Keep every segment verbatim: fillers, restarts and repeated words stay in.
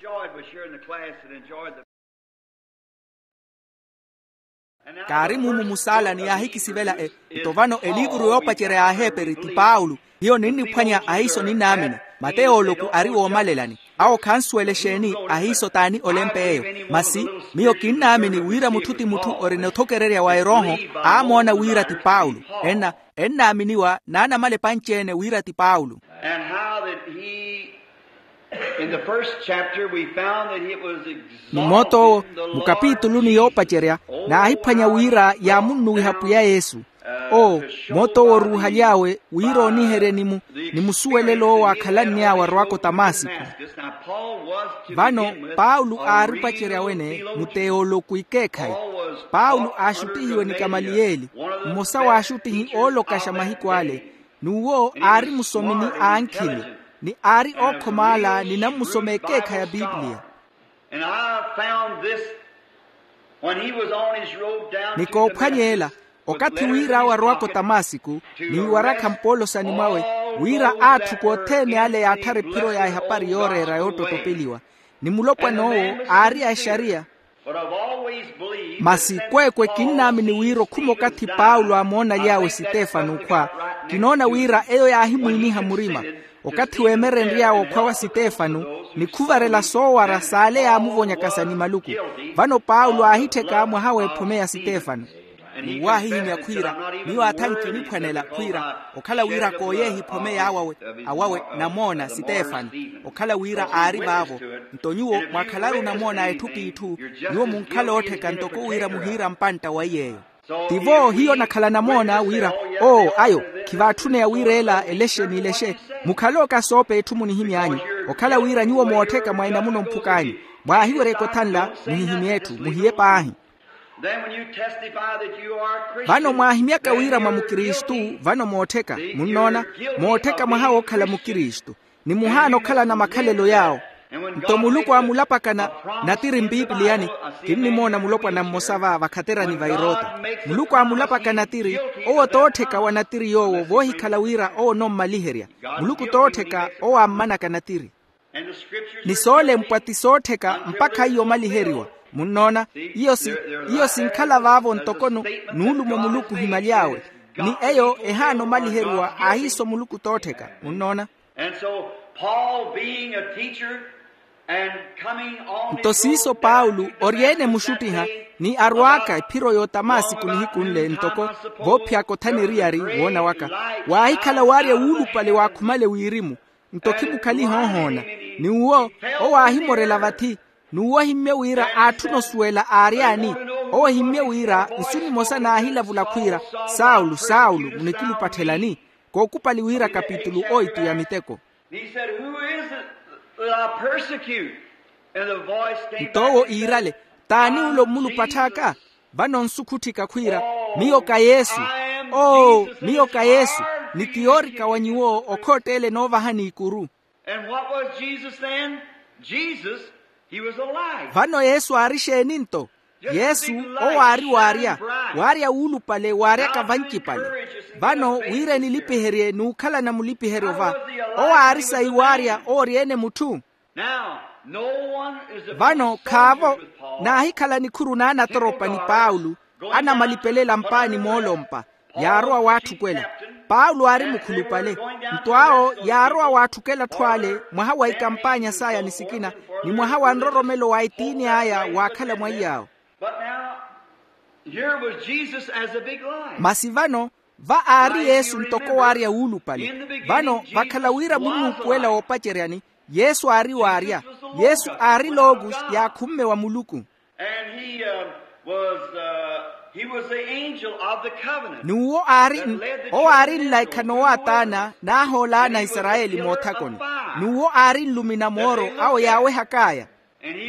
Boyd was sharing the class that enjoyed the. Kaari mumu musaalani yaahikisivela e. Nto vano eliivuru yoopacerya ya aheeperi ti paulo. Hiyo ninniphwanya ahiiso ninnaamini. Mateyo oloku ari woomalelani. Awo khansuwela exeeni? Ahiiso t'ani olempa eyo? Masi miyo kinnaamini wira mutthu ti mutthu orina othokererya wa erooho aamoona wira ti paulo. Enna ennaaminiwa n'anamala epanci-ene wira ti paulo. And how that he, in the first chapter, we found that it was exalted. Ni mooto owo, mu kapituluni yoopacerya, naahiphwanya wira yaamunnuwiha pwiya yesu. Oo, mooto owo oruuhaly'awe wira ooniherye ni mu ni musuwelelo owo aakhalanny'awe arowaka otamasiku. Vano paulo aari opacerya wene, mu teoloku ikeekhayi. Paulo aaxuttihiwe ni kamaliyeli, mmosa w'axuttihi oolokaxa mahiku ale. N'uwo aari musomi ni aankhili, ni aari ookhoma ala ninammusoma ekeekha ya pipiliya. And I found this when he was on his road down to Damascus. Ni koophwanya ela, okathi wira awo arowaka otamasiku, ni iwarakha mpoolosani mwawe, wira aatthukwa othene ale yaatthara ephiro ya ehapari yooreera yoottottopeliwa. Ni mulopwana owo aari a exariya. Masi kweekwe kinnaamini wira okhuma okathi paulo aamoona aly'awe sitefano okhwa. Kinoona wira eyo yaahimwiiniha murima. Okathi weemerenry'awe okhwa wa sitefano, ni khuvarela soowara s'ale yaamuvonyakasa ni maluku. Vano paulo aahittheka mwaha w'ephome ya sitefano. N'uwo aahihimya khwiira, miyo atha nkiniphwanela khwiira okhala wira kooyeehe ephome y'awawe, awawe namoona sitefano, okhala wira aari vaavo. Nto nyuwo mwakhalaru namoona a etthu p'itthu, nyuwo munkhala oottheka ntoko wira muhiira mpantta wa iy'eyo. Tivo hiyo nakhala namoona wira, oo ayo, khivaatthune ya wira ela elexe n'ilexe. Mukhalooka soopa etthu munihimy'anyu, okhala wira nyuwo moottheka mwa enamuno mphuk'anyu, mwaahiweryeke othanla, muhihimye etthu muhiye paahi. Vano mwaahimyaka wira mwa mukristu, vano moottheka, munnoona, moottheka mwaha wookhala mukristu, ni muhaana okhalana makhalelo yaawo. Nto muluku aamulapakana, natiri mpipiliyani, kinnimoona mulopwana mmosa va vakhaterani va erota. Muluku aamulapakana tiri, owo toottheka wa natiri yoowo voohikhala wira owo onommaliherya. Muluku toottheka owo aammanaka natiri. Ni soolempwa ti soottheka mpakha iyo omaliheriwa. Munnoona, iyo si iyo sinkhala vaavo ntoko nuulumo muluku ohimaly'awe. Ni eyo ehaana omaliheriwa ahiiso muluku toottheka. Munnoona. And so Paul being a teacher and coming on nto siiso paulo oryeene muxuttiha, ni arwaaka ephiro y'otamasiku nihiku nle ntoko voophyaka othana eriyari woona waka, waahikhala waarya wuulupale waakhumale wirimu. Nto khimukhaliha ohoona. Ni uwo owo aahimorela vathi. N'uwo ohimmye wira aatthuna osuwela aary'ani. Owo ohimmye wira nsu nimosa naahilavula khwiira, saulo saulo, munikilupattelani? Kookupali wira kapitulu oitu ya miteko. Nto owo iirale, t'ani ulo mmulupatth'aka? Vano nsukhutthika khwiira, miyo ka yesu. Oo, miyo ka yesu. Ni ti yoorika wa nyuwo okhootteele noovahani ikuru. And what was Jesus then? Jesus, he was alive. Vano yesu aari exeeni nto? Yesu owo aari waarya, waarya wuulupale waaryaka vancipale. Vano wira enilipiherye n'ukhalana mulipiheryo va, owo aari sayi waarya owo oryeene mutthu. Vano khaavo naahikhala nikhuru n'anatoropani paulo, anamalipelela mpaani moolompa, yaarowa waatthukwela. Paulo aari mukhulupale. Nto awo yaarowa waatthukela atthu ale mwaha wa ikampaanya saya ni sikina, ni mwaha wa nroromelo wa etiini aya waakhala mwaiy'awo. Masi vano va aari yesu ntoko waarya wuulupale. Vano vakhala wira munnuupuwela woopaceryani, yesu aari waarya. Yesu aari logos yaakhumme wa muluku. N'uwo aari owo aari nlaikha noowaataana naahoolaana aisarayeli moothakoni. N'uwo aari nlumi na mooro awo yaawehak'aya.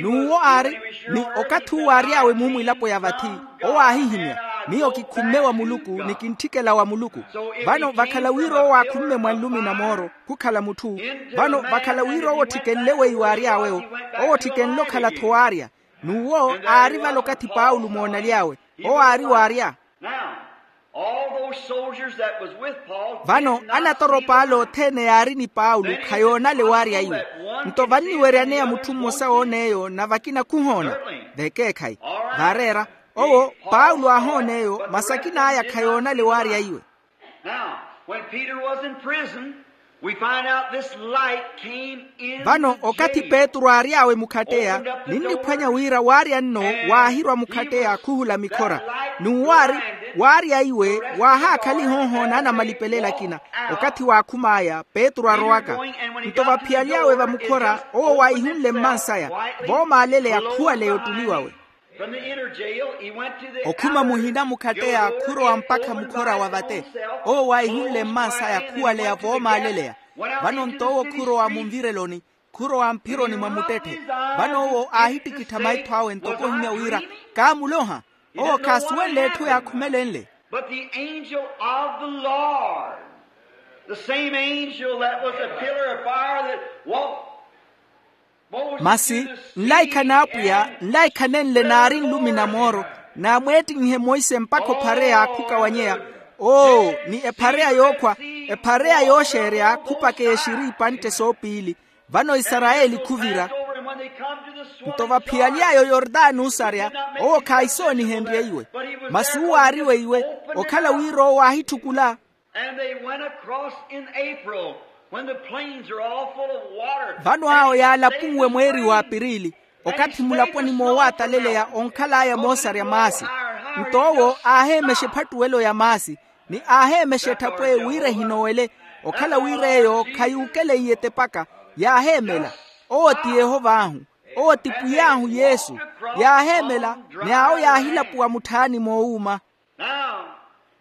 N'uwo aari ni okathi uwo aary'awe muumwilapo ya vathi, owo aahihimya, miyo kikhumme wa muluku ni kintthikela wa muluku. Vano vakhala wira owo aakhumme mwa nlumi na mooro khukhala mutthu. Vano vakhala wira owo otthikenle weiwo aary'awe-wo, owo otthikenle okhala-tho waarya. N'uwo aari vale okathi paulo moonaly'awe, owo aari waarya. All those soldiers that was with Paul. Vano anatoropa ale othene yaari ni paulo khayoonale waarya iwe. Nto vanniweryaneya mutthu mmosa woon'eyo na vakina khuhoona. Vekeekhayi. Vaareera. Owo paulo aahoon'eyo masi akin'aya khayoonale waarya iwe. Now, when Peter was in prison, we find out this light came in. Vano okathi petru aary'awe mukhatteya ninniphwanya wira waarya nno waahirwa mukhatteya khuhula mikhora. N'uwo aari waarya iwe waahaakhaliha ohoonaana malipelela akina. Okathi waakhum'aya petru arowaka. Nto vaphiyaly'awe vamukhora owo waahihunle mmans'aya voomaaleleya khuwaleya ottuli wawe. Okhuma muhina mukhatteya khurowa mpakha mukhora wa vate. Owo waahihunle mmans'aya khuwaleya voomaaleleya. Vano nto owo khurowa munvireloni khurowa mphironi mwa muttetthe. Vano owo aahittikittha maitho awe ntoko ohimya wira kaamuloha. Owo khaasuwenle etthu yaakhumelenle. But the angel of the Lord, the same angel that was a pillar of fire that walked. Masi nlaikha n'apwiya nlaikha nenle naari nlumi na mooro naamweettinyihe monse mpakha ophareya khukawanyeya. Oo ni ephareya yookhwa ephareya yooxeerya khupakeye xiri ipantte soopiili. Vano isarayeli khuvira. Nto vaphiyaly'aye oyordano osarya owo khaahisoonihenrye iwe. Masi uwo aari weiwe okhala wira owo aahitthukula. And they went across in April, when the plains are all full of water. Vano awo yaalapunwe mweeri wa apirili okathi mulaponi moowataleleya onkhal'aya moosarya maasi. Nto owo aaheemexa ephattuwelo ya maasi ni aaheemexa etthapwe wira ehinowele okhala wira eyo khayuukeleiye etepaka. Yaaheemela owo ti yehov'ahu owo ti pwiy'ahu yesu. Yaaheemela ni awo yaahilapuwa mutthaani moowuuma. Now,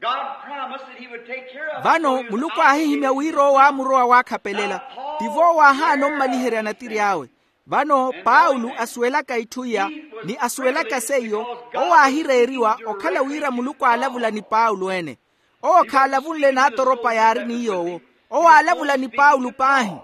God promised that he would take care of us. Vano muluku aahihimya wira owo aamurowa waakhapelela. Tivo owo aahaana ommaliherya natiri awe. Vano paulo asuwelaka itthu iya ni asuwelaka seiyo owo aahireeriwa okhala wira muluku aalavula ni paulo ene. Owo khaalavunle n'atoropa yaari ni yoowo. Owo aalavula ni paulo paahi.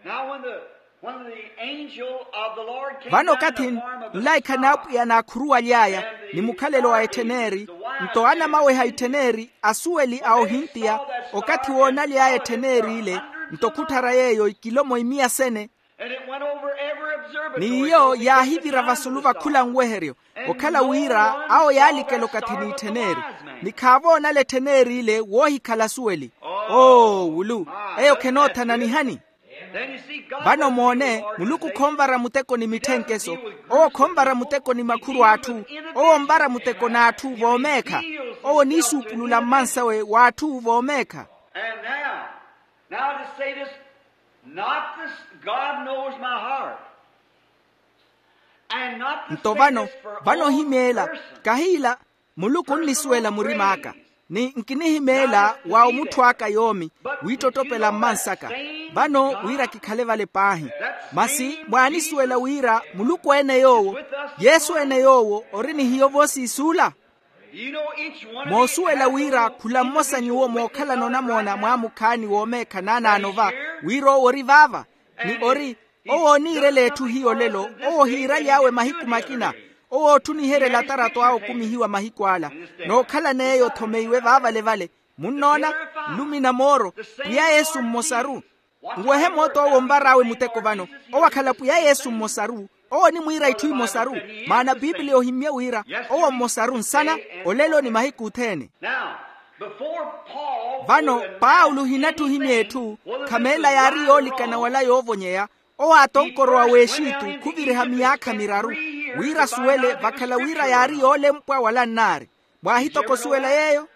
Now when the, when the angel of the Lord came down in the form of a son. Vano okathi nlaikha n'apwiya naakhuruwaly'aya ni mukhalelo wa ettheneri. Nto anamaweha ettheneri asuweli a ohintiya okathi woonaly'aya ettheneri ile. Nto khutthara yeeyo ikilomo imiya sene. And it went over every observatory. N'iyo yaahivira vasulu va khula nweheryo okhala wira awo yaalikela okathi n'ittheneeri. Ni khaavoonala ettheneri ile woohikhala asuweli. Oo wulu eyo khenoothana nihani. Vano moone muluku khonvara muteko ni mitthenkeso. Owo khonvara muteko ni makhuru a atthu. Owo onvara muteko n'atthu voomeekha. Owo oniisuupulula mmansawe w'atthu voomeekha. And now, now to say this, not this, God knows my heart. And not to say this for own person. Nto vano vano ohimeela kahiila. Muluku onnisuwela murim'aka ni nkinihimeela wa omutthu aka yoomi wiittottopela mmansaka. Vano wira kikhale vale paahi. Masi mwaanisuwela wira muluku ene yoowo yesu ene yoowo ori ni hiyo voosiisuula. Moosuwela wira khula mmosa nyuwo mookhalana onamoona mwaamukhaani woomeekha naanaano va wira owo ori vaava. Ni ori owo oniirela etthu hiyo lelo. Owo ohiiraly'awe mahiku makina. Owo ootthuniherya elatarato awe okumihiwa mahiku ala nookhalana eyo othomeiwe vaavale-vale. Munnoona nlumi na mooro pwiya yesu mmosaru. Nwehe moota owo onvar'awe muteko vano owo akhala pwiya yesu mmosaru. Owo onimwiira itthu imosaru maana piipiliya ohimmye wira owo mmosaru nsana olelo ni mahiku othene. Vano paulo ohinatthu ohimya etthu khameela yaari yoolikana wala yoovonyeya. Owo aatonkorowa w'exitu khuviriha miyaakha miraru wira asuwele vakhala wira yaari yoolempwa wala nnaari. Mwaahitoko osuwela yeeyo.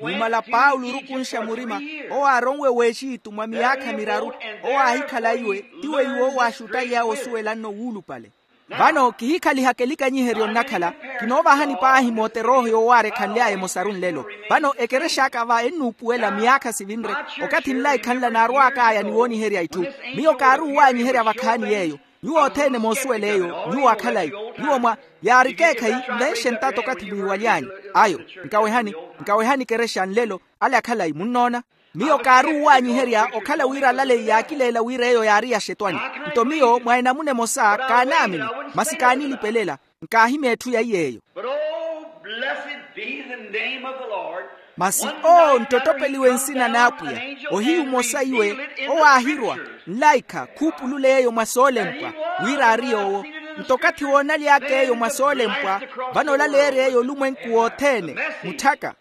Numala paulo orukunxa murima owo aaronwe w'exitu mwa miyaakha miraru owo aahikhala iwe ti weiwo owo aaxuttaly'awe osuwela nno wuulupale. Vano kihikhalihaka elikanyiheryo nnakhala kinoovahani paahi moote erooho yoowaara ekhanly'aya emosaru nlelo. Vano ekerex'aka va ennuupuwela miyaakha sivinre okathi nlaikha nla naarw'ak'aya ni wooniherya itthu. Miyo kaaruuwanyiherya vakhaani yeeyo. Nyuwo othene moosuwela eyo nyuwo akhalayi nyuwo mwa yaari ekeekhayi nvenxe ntato okathi mwiiwaly'anyu. Ayo nkawehani nkawehani ekerexa nlelo ale akhalayi munnoona. Miyo kaaruuwanyiherya okhala wira alaleyi yaakileela wira eyo yaari ya xetwani. Nto miyo mwa enamuna emosa kaanaamini masi kaanilipelela. Nkaahimya etthu ya iy'eyo. But oh, blessed be the Masi owo nttottopeliwe nsina n'apwiya, ohiyu mmosa iwe owaahirwa nlaikha khuupulule yeeyo mwa soolempwa, wira ari yoowo. Nto okathi woonaly'aka eyo mwa soolempwa, vano olaleerya eyo olumwenku wothene, mutthaka.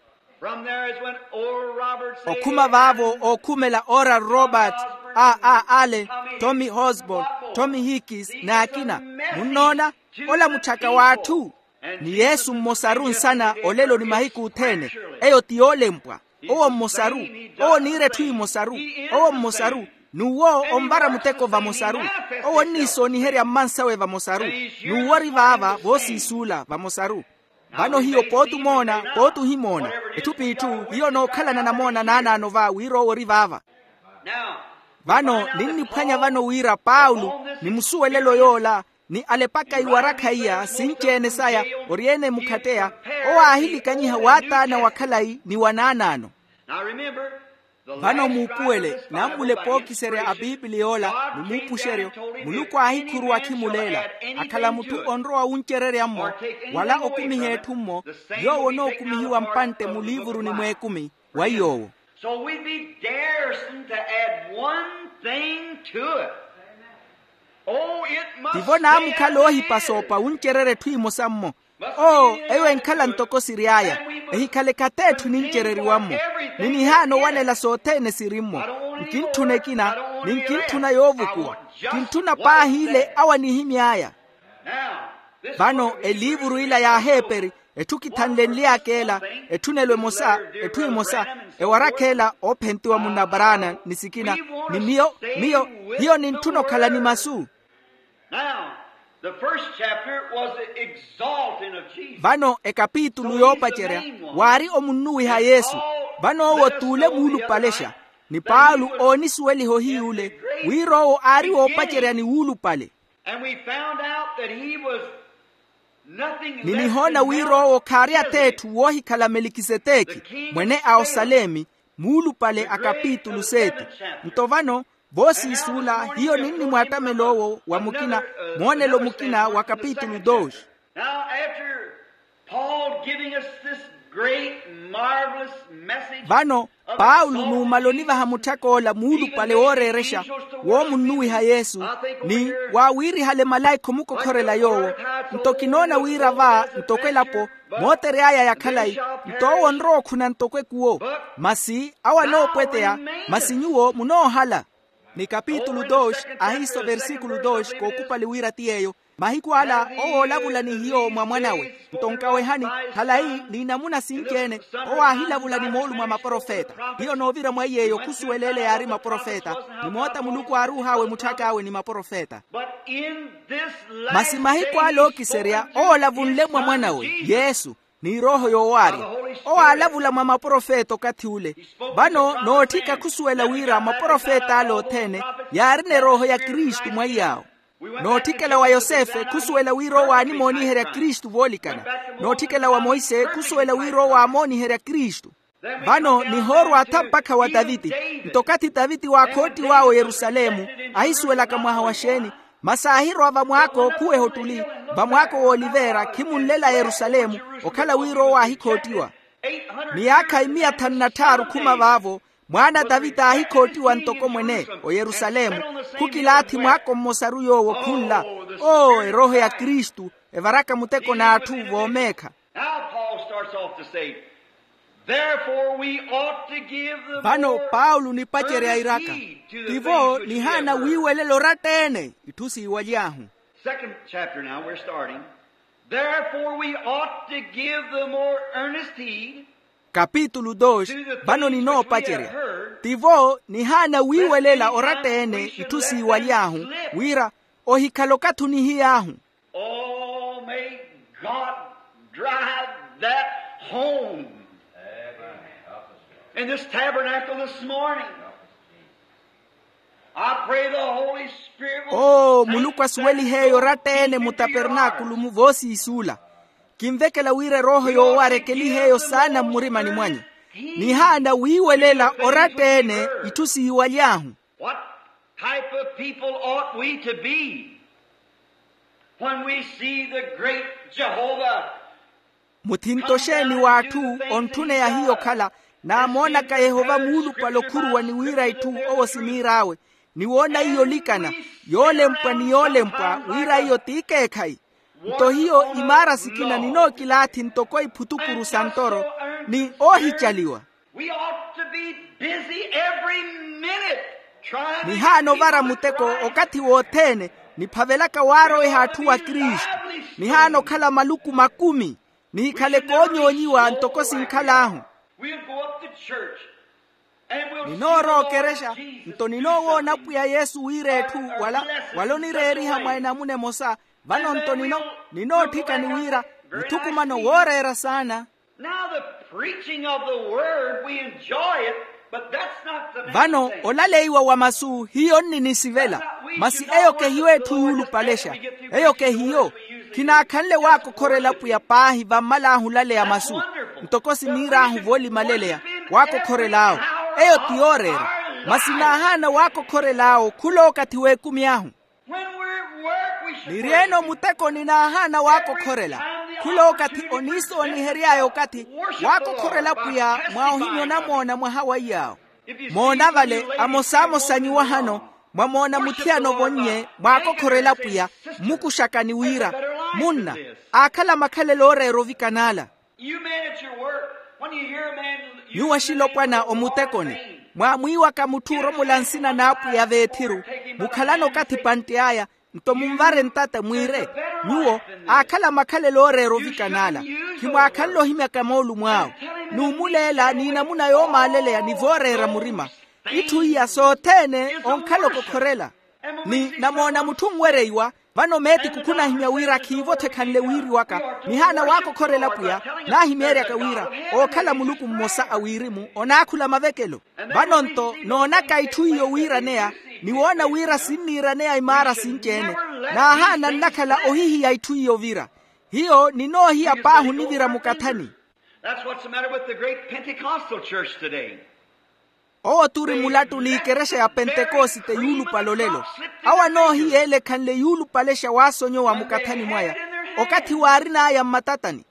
Okhuma vaavo ookhumela oral robert, a a ale, tommy hosbol, tommy hickis n'akina. Munnoona? Ola mutthaka w'atthu. Ni yesu mmosaru nsana olelo ni mahiku othene. Eyo ti yoolempwa. Owo mmosaru. Owo oniira etthu emosaru. Owo mmosaru. N'uwo onvara muteko vamosaru. Owo onniisooniherya mmansawe vamosaru. N'uwo ori vaava voosiisuula vamosaru. Vano hiyo pooti omoona pooti ohimoona, etthu p'itthu hiyo onookhalana namoona naanaano va wira owo ori vaava. Vano ninniphwanya vano wira paulo ni musuwelelo yoola, ni alepaka iwarakha iya sinci-ene saya, ori-ene emukhatteya, owo aahilikanyiha wa taana wa khalayi ni wa naanaano. Vano muupuwele nammulepa ookiserya a piipili yoola ni muupuxeryo. Muluku aahikhuruwa akhimuleela akhala mutthu onrowa wuncererya-mmo wala okumiha etthu-mmo, yoowo onookumihiwa mpantte muliivuruni mw'ekumi wa iy'owo. So we'd be daresome to add one thing to it. Oh, it must tivo naamukhala oohipasoopa wuncererya etthu emosa-mmo. Oo, eyo enkhala ntoko siry'aya. Ehikhale khateetthu nincereriwa-mmo. Ni nihaana owanela sothene siri-mmo. Nkintthuna ekina ni nkintthuna yoovukuwa. Kintthuna paahi ile awo anihimy'aya. Vano eliivuru ila y'aheeperi, etthu kithanlenly'aka ela, etthunelo emosa, etthu emosa, ewarakha ela oophentiwa munnabaraana ni sikina, ni miyo miyo hiyo nintthuna okhala ni masu. Now, the first chapter was the exalting of Jesus. Vano ekapitulu yoopacerya waari omunnuwiha yesu. Vano owo t'ule muulupalexa, ni paulo oonisuweliha ohiy'ule wira owo aari woopacerya ni wuulupale. And we found out that he was nothing less than Melchizedek. Ni nihoona wira owo khaari atheetthu woohikhala melikiseteki, mwene a osalemi, muulupale a kapitulu seeti. Nto vano voosiisuula hiyo ninnimwaattamela owo wa mukina, moonelo mukina wa kapitulu dos. Now after Paul giving us this great marvelous message, vano paulo numala onivaha mutthak'ola muulupale wooreerexa woomunnuwiha yesu, ni waawiirihale malaikha omukokhorela yoowo. Nto kinoona wira va ntoko elapo mootery'aya ya khalayi, nto owo onrowa okhuna ntoko ekuwo. Masi awo anoopweteya, masi nyuwo munoohala. Ni kapitulu dos ahiiso versikulu dos kookupali wira ti yeeyo. Mahiku ala owo oolavula ni hiyo mwa mwan'awe. Nto nkawehani, khalayi n'inamuna sinci-ene. Owo aahilavula ni moolumo a maprofeta. Hiyo noovira mwa iy'eyo khusuwela ele yaari maprofeta, ni moota muluku aaruuh'awe mutthak'awe ni maprofeta. Masi mahiku ala ookiserya owo olavunle mwa mwan'awe yesu, ni erooho yoowaarya. Owo aalavula mwa maprofeta okathi ule. Vano nootthika khusuwela wira maprofeta ala othene yaarina erooho ya kristu mwa iy'awo. Nootthikela wa yosefe khusuwela wira owo aanimooniherya kristu voolikana. Nootthikela wa monse khusuwela wira owo aamooniherya kristu. Vano nihoorwa atha mpakha wa taviti. Nto okathi taviti waakhoottiw'awe oyerusalemu, ahisuwelaka mwaha wa xeeni, masi aahirwa vamwaako khuweha ottuli, vamwaako w'olivera khimunlela yerusalemu, okhala wira owo aahikhoottiwa. Miyaakha imiya thanu na tthaaru khuma vaavo, mwaana a taviti aahikhoottiwa ntoko mwene oyerusalemu. Khukilaathi mwaako mmosaru yoowo khunla. Oo erooho ya kristu, evaraka muteko n'atthu voomeekha. Now Paul starts off to say, therefore we ought to give the vano more paulo nipacerya iraka, earnest heed to the tivo things which we nihaana have heard. Wiiwelela oratta-ene itthu siiwaly'ahu. Second chapter now, we're starting. Therefore we ought to give the more earnest heed kapitulu dos. Vano ninoopacerya, tivo nihaana wiiwelela oratta-ene itthu siiwaly'ahu, wira ohikhala okathi onihiy'ahu. Oh, may God drive that home in this tabernacle this morning. I pray the Holy Spirit will oo sink muluku asuweliheeyo oratta-ene mu tapernaakulu mu voosiisuula. Kinvekela wira erooho yoowarya ekeliheeyo saana mmurimani mwanyu. Nihaana wiiwelela oratta-ene itthu siiwaly'ahu. What type of people ought we to be when we see the great Jehovah Muthinto xeeni w'atthu ontthuneya hiyo okhala? Naamoonaka yehova muulupale okhuruwa ni wira itthu owo siniir'awe, ni woona iyo olikana, yoolempwa ni yoolempwa wira iyo t'ikeekhayi. Nto hiyo imaara sikina ninookilaathi ntoko iphutukuru sa ntoro ni oohicaliwa. We ought to be busy every minute trying to nihaana ovara muteko okathi wothene, niphavelaka waaroweha atthu wa kristu. Nihaana okhala maluku makumi, nihikhale koonyoonyiwa ntoko sinkhal'ahu. We'll go up to church. Ninoorowa okerexa, nto ninoowoona apwiya yesu wira etthu wala, wala onireeriha mwa enamuna emosa. Vano nto nino, ninootthikani wira muthukumano wooreera saana. Now the preaching of the word, we enjoy it, but that's not the main thing. Vano olaleiwa wa masu hiyo nninisivela, masi eyo kehiyo etthu yuulupalexa. Eyo kehiyo. Khinaakhanle waakokhorela apwiya paahi vammal'ahu olaleya masu, ntoko siniir'ahu voolimaleleya, waakokhorel'awo. Eyo ti yooreera. Masi naahaana waakokhorel'awo khula okathi w'ekumi ahu. Niri-ene omutekoni naahaana waakokhorela. Khula okathi oniisoonihery'aya okathi waakokhorela apwiya mwa ohimya onamoona mwaha wa iy'awo. Moona vale, amosamosa nyuwo ahano mwamoona muthiyana ovonnye mwaakokhorela apwiya, mmukuxakani wira, munna, aakhala makhalelo ooreera ovikan'ala. Nyuwo axilopwana omutekoni, mwaamwiiwaka mutthu oromola nsina n'apwiya veethiru, mukhalana okathi pantt'aya, nto munvare ntata mwiire, nyuwo, aakhala makhalelo ooreera ovikan'ala. Khimwaakhanle ohimyaka moolumo awo, n'umuleela n'inamuna yoomaaleleya ni vooreera murima. Itthu iya sothene onkhala okokhorela. Ni namoona mutthu onwereiwa. Vano meetiku khunahimya wira khiivo-tho ekhanle wiiriwaka. Nihaana waakokhorela apwiya, naahimeeryaka wira ookhala muluku mmosa a wirimu onaakhula mavekelo. Vano-nto noonaka itthu iyo wiiraneya, ni woona wira sinniiraneya imaara sinci-ene. Naahaana nnakhala ohihiya itthu iyo ovira. Hiyo ninoohiya paahi onivira mukathani. That's what's the matter with the great Pentecostal church today. Owo t'uri mulattu n'ikerexa ya pentekosite yuulupale olelo. Awo anoohiyeela ekhanle yuulupalexa waasonyowa mukathani mwaya, okathi waarin'aya mmatatani.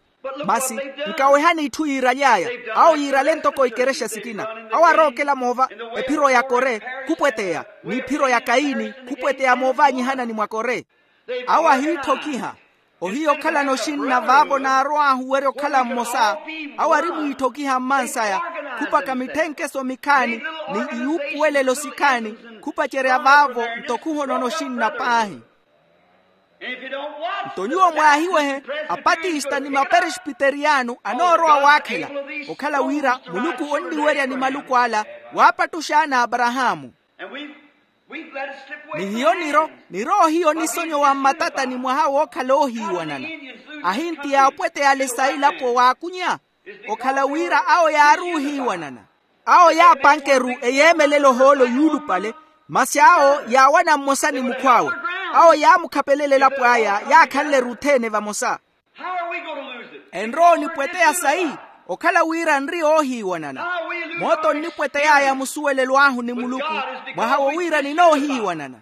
Masi nkawehani itthu yiiraly'aya. Awo yiirale ntoko ikerexa sikina. Awo arookela moova ephiro ya kore, khupweteya, n'iphiro ya kayini, khupweteya moovaanyihana ni mwa kore. Awo ahiitthokiha. Ohiya okhalana oxinna vaavo naarow'ahu werya okhala mmosa. Awo ari mwiitthokiha mmansaya, khupaka mitthenkeso mikhaani, ni iyuupuwelelo sikhaani, khupacerya vaavo. Nto khuhonona oxinna paahi. Nto nyuwo mwaahiwehe, apatista ni maperespiteriyano anoorowa waakhela, okhala wira muluku onniwerya ni maluku ala, waapattuxaana aparahaamu. Ni hiyo niro, niro hiyo nisonyowa mmatatani mwaha wookhala oohiiwanana. Ahinti yaapweteyale sa ilapo waakunya, okhala wira awo yaari oohiiwanana. Awo yaapanke-ru eyeemelela ohoolo yuulupale, masi awo yaawana mmosa ni mukhw'awe. Awo yaamukhapelela elapo aya yaakhanle-ru othene vamosa. Enrowa onipweteya sayi, okhala wira nri oohiiwanana. Moota onnipwetey'aya musuwelelo ahu ni muluku, mwaha wo wira ninoohiiwanana.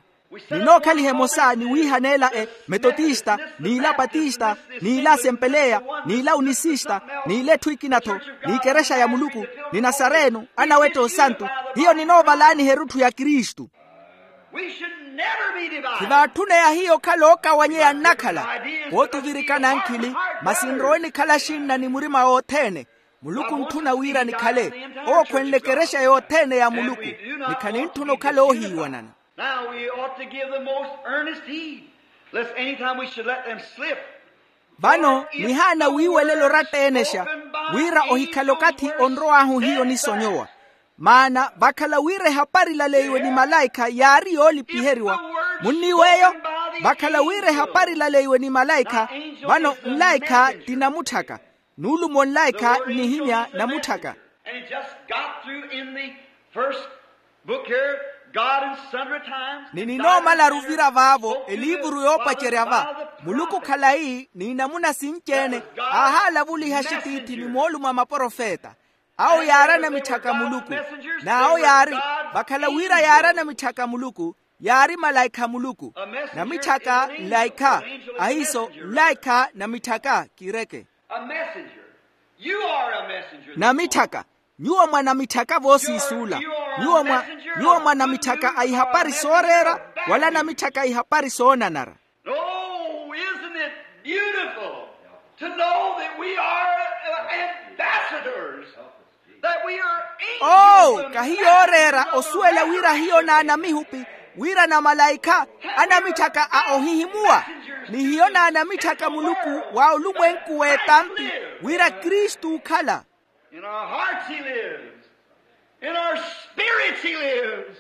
Ninookhaliha emosa ni wiihaneela emetotista, n'ila patista, n'ila asempeleya, n'ila unisista, n'ila etthu ekina-tho, n'ikerexa ya muluku, ni nasareno, anawetta osantu. Hiyo ninoovalaaniha erutthu ya kristu. Khivaatthuneya hiyo okhala ookawanyeya nnakhala. Kootuvirikana nkhili, masi nrowe nikhala axinna ni murima wothene. Muluku ontthuna wira nikhale ookhwenle ekerexa yothene ya muluku, ni khanintthuna okhala oohiiwanana. Now we ought to give the most earnest heed, lest any time we should let them slip. Vano nihaana wiiwelela oratta-enexa, wira ohikhale okathi onrow'ahu hiyo nisonyowa. Maana vakhala wira ehapari ilaleiwe ni malaikha yaari yoolipiheriwa. Munniiw'eyo? Vakhala wira ehapari ilaleiwe ni malaikha, vano nlaikha ti namutthaka. Nuulumo nlaikha nnihimya namutthaka. And he just got through in the first book here, God in sundry times. Ni ninoomalaru ovira vaavo eliivuru yoopacerya va, muluku khalayi n'inamuna sinci-ene, aahaalavuliha axitiithi ni moolumo a maprofeta. Awo yaari anamitthaka a muluku. N'awo yaari, vakhala wira yaari anamitthaka a muluku, yaari malaikha a muluku. Namitthaka nlaikha. Ahiiso nlaikha namitthaka kiireke. A messenger. You are a messenger. Namitthaka. Nyuwo mwa namitthaka voosiisuula. Nyuwo mwa namitthaka a ihapari sooreera, wala namitthaka a ihapari soonanara. Oh, isn't it beautiful to know that we are, uh, ambassadors, that we are angels? Oh, kahi yooreera osuwela wira hiyo n'anamihupi, wira namalaikha anamitthaka a ohihimuwa, ni hiyo n'anamitthaka muluku wa olumwenku w'etampi, wira kristu okhala. In our hearts he lives. In our spirits he lives.